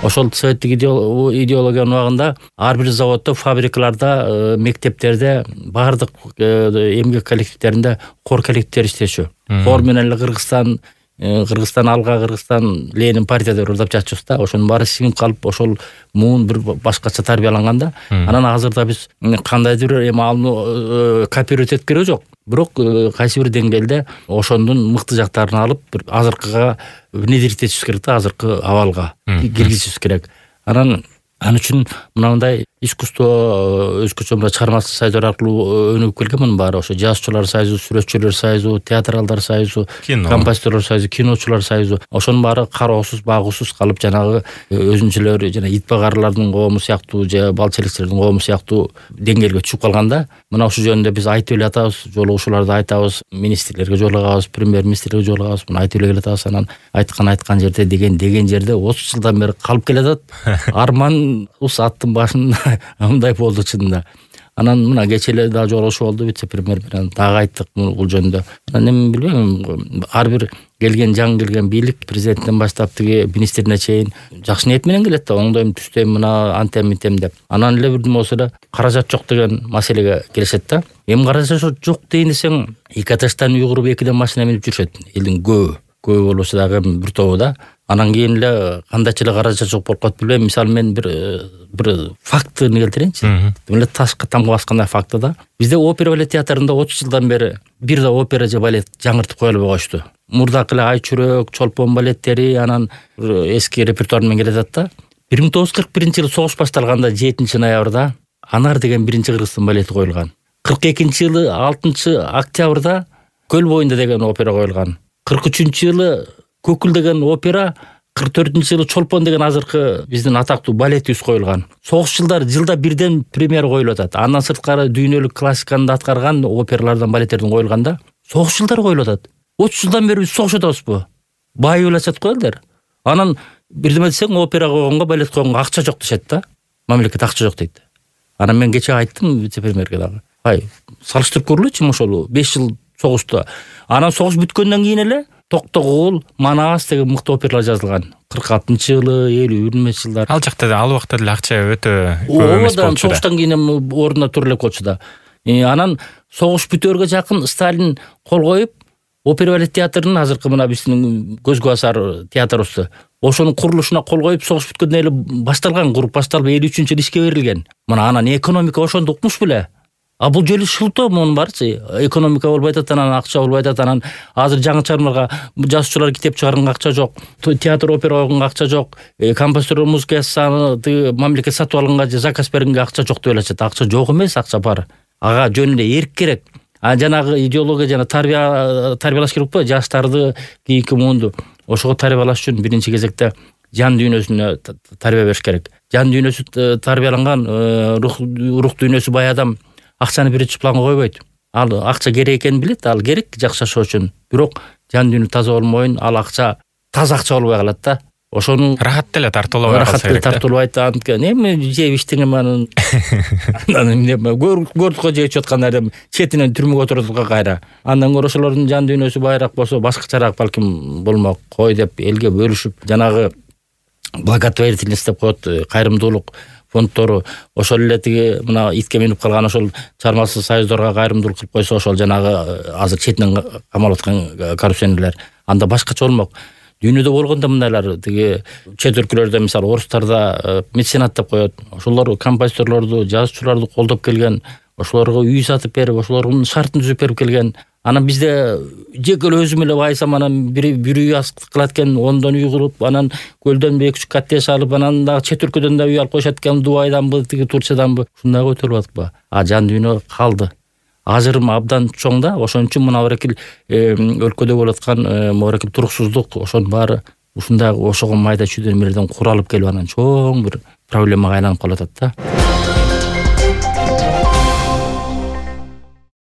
Ошол советтик идеологиянын убагында ар бир заводдо, фабрикаларда, мектептерде, баардык эмгек коллективдеринде хор коллективдер иштешү. Хор менен эле Кыргызстан алга, Кыргызстан Ленин партия деп ырдап жатчыбыз да. Ошонун баары сиңип калып, ошол муун бир башкача тарбияланганда, анан азырда биз кандайдыр эми алууну копировать этип кереги жок. Бирок кайсы бир деңгээлде ошондун мыкты жактарын алып, бир азыркыга внедрить этишибиз керек да, азыркы абалга киргизишибиз керек. Анан үчүн мындай искусство өзгөчө мына чыгармачылык союздар аркылуу өнүгүп келген мунун баары. Ошо жазуучулар союзу, сүрөтчүлөр союзу, театралдар союзу, композиторлор союзу, киночулар союзу. Ошонун баары кароосуз, багуусуз калып, жанагы өзүнчөлөр жана итбагарлардын коому сыяктуу же бал челекчилердин коому сыяктуу деңгээлге түшүп калганда, мына ушул жөнүндө биз айтып эле атабыз, жолугушууларда айтабыз, министрлерге жолугабыз, премьер-министрге жолугабыз, муну айтып эле келатабыз. Анан айткан жерде деген жерде 30 жылдан бери калып келатат. Арман аттын башында мындай болду чынында. Анан мына кечээ эле дагы жолугушуу болду вице-премьер менен, дагы айттык бул жөнүндө. Анан эми билбейм, ар бир жаңы келген бийлик, президенттен баштап тиги министрине чейин жакшы ниет менен келет да, оңдойм, түстөйм, мына антем митем деп. Анан эле бир болсо да каражат жок деген маселеге келишет да. Эми каражат жок дейин десең, Икатештан уйгуруп 2 машина минип жүрүшөт. Элдин көбү болбосо дагы бир тобу да. Анан кийин эле кандайча эле каражат жок болуп калат билбейм. Мисалы мен бир фактыны келтирейинчи. Эле ташка тамга баскандай факты да. Бизде опера балет театрында 30 жылдан бери бир да опера же балет жаңыртып кое албай коюшту. Мурдакы эле Ай чүрөк, Чолпон балеттери анан эски репертуар менен келатат да. 1941-жылы согуш башталганда 7-ноябрда Анар деген биринчи Кыргызстан балети коюлган. 42-жылы 6-октябрда Көл боюнда деген опера коюлган. 43-жылы Көкүл деген опера, 44-жылы Чолпон деген азыркы биздин атактуу балетибиз коюлган. Согуш жылдары жылда бирден премьера коюлуп атат. Андан сырткары дүйнөлүк классиканы аткарган опералардан, балеттерден коюлганда согуш жылдары коюлуп атат. 30 жылдан бери биз согуш атабызбы? Байып эле коелдер. Анан бирдеме десең, опера койгонго, балет койгонго акча жок дешет да. Мамлекет акча жок дейт. Анан мен кече айттым вице-премьерге дагы. Салыштырып көрүлөчү ошол 5 жыл согушта. Анан согуш бүткөндөн кийин эле Токтогул, Манас деген мыкты оперлар жазылган. 46-жылы, 50-жылдар. Ал жакта ал убакта деле акча өтө көп эмес болчу да. Согуштан кийин ордуна турулуп болчу да. Анан согуш бүтөөргө жакын Сталин кол коюп, опера балет театрынын азыркы мына биздин көзгө басар театрыбызды, ошонун курулушуна кол коюп, согуш бүткөндөн эле башталган, куруп башталып 53-жылы ишке берилген. Мына анан экономика ошондо укмуш беле. А бул жолу шылтоо мунун баарчы. Экономика болбой атат, анан акча болбой атат, анан азыр жаңы чыгармаларга жазуучулар китеп чыгарганга акча жок, театр опера койгонго акча жок, композитор музыка жазсаны мамлекет сатып алганга же заказ бергенге акча жок деп элечет. Акча жок эмес, акча бар. Ага жөн эле эрк керек. Жанагы идеология жана тарбиялаш керек го, жаштарды, кийинки муунду. Ошого тарбиялаш үчүн биринчи кезекте жан дүйнөсүнө тарбия бериш керек. Жан дүйнөсү тарбияланган, рух дүйнөсү бай адам акчаны биринчи планга койбойт. Ал акча керек экенин билет, ал керек жакшы жашоо үчүн. Бирок жан дүйнө таза болмойн, ал акча таза акча болбой калат да. Ошону рахат деле тартуулабай калса керек. Рахат тартуулабайт. Эми жеп иштеген анан көрдүк го жеп жаткандар четинен түрмөгө отурдук кайра. Андан көрө ошолордун жан дүйнөсү байраак болсо, башкачараак балким болмок кой деп элге бөлүшүп, жанагы благотворительность деп коет, кайрымдуулук фондтору, ошол эле тиги мына итке минип калган ошол чыгармачылык союздорго кайрымдуулук кылып койсо, ошол жанагы азыр четинен камалып аткан коррупционерлер анда башкача болмок. Дүйнөдө болгондо мындайлар тиги чет өлкөлөрдө, мисалы орустарда меценат деп коет. Ошолор композиторлорду, жазуучуларды колдоп келген, ошолорго үй сатып берип, ошолордун шартын түзүп берип келген. Анан бизде жеке эле өзүм эле байсам, анан бир үй кылат экен, ондон үй куруп, анан көлдөн 2-3 коттедж алып, анан дагы чет өлкөдөн да үй алып коюшат экен, Дубайданбы, тиги Турциyaданбы. Ушундай көтөрүп атпы. Жан дүйнө калды. Ажырым абдан чоң да, ошон үчүн мына баракил өлкөдө болуп аткан моракил туруксуздук, ошонун баары ушундай ошого майда чүйдө эмелерден куралып келип анан чоң бир проблемага айланып калып атат да.